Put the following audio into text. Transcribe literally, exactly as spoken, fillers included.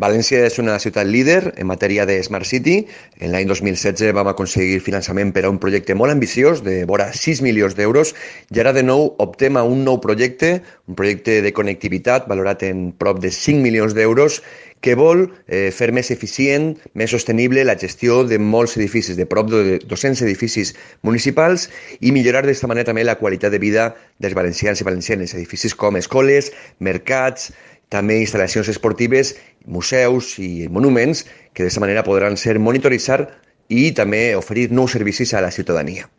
València és una ciutat líder en matèria de Smart City. En l'any dos mil setze vam aconseguir finançament per a un projecte molt ambiciós de vora sis milions d'euros i ara de nou optem a un nou projecte, un projecte de connectivitat valorat en prop de cinc milions d'euros que vol eh, fer més eficient, més sostenible la gestió de molts edificis, de prop de dos-cents edificis municipals i millorar d'aquesta manera també la qualitat de vida dels valencians i valencianes. Edificis com escoles, mercats, també instal·lacions esportives, museus i monuments que d'aquesta manera podran ser monitoritzar i també oferir nous servicis a la ciutadania.